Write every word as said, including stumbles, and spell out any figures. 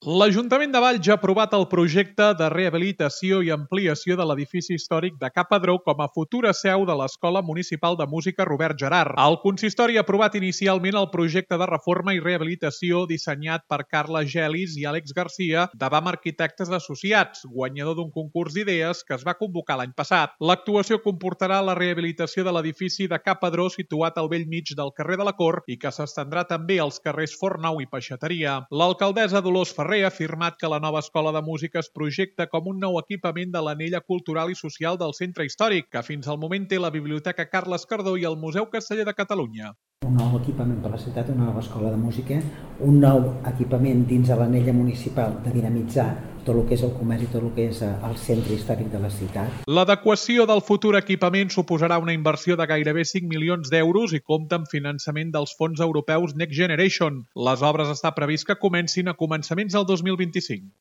L'Ajuntament de Valls ha aprovat el projecte de rehabilitació i ampliació de l'edifici històric de Ca Padró com a futura seu de l'Escola Municipal de Música Robert Gerhard. El consistori ha aprovat inicialment el projecte de reforma i rehabilitació dissenyat per Carla Gelis i Àlex Garcia de BAM Arquitectes Associats, guanyador d'un concurs d'idees que es va convocar l'any passat. L'actuació comportarà la rehabilitació de l'edifici de Ca Padró situat al bell mig del carrer de la Cort i que s'estendrà també als carrers Fornou i Peixateria. L'alcaldessa Dolors Ferrer ha afirmat que la nova escola de música es projecta com un nou equipament de l'anella cultural i social del centre històric, que fins al moment té la Biblioteca Carles Cardó i el Museu Casteller de Catalunya. Un nou equipament per la ciutat, una nova escola de música, un nou equipament dins de l'anella municipal de dinamitzar tot el que és el comerç i tot el que és el centre històric de la ciutat. L'adequació del futur equipament suposarà una inversió de gairebé cinc milions d'euros i compta amb finançament dels fons europeus Next Generation. Les obres està previst que comencin a començaments del dos mil vint-i-cinc.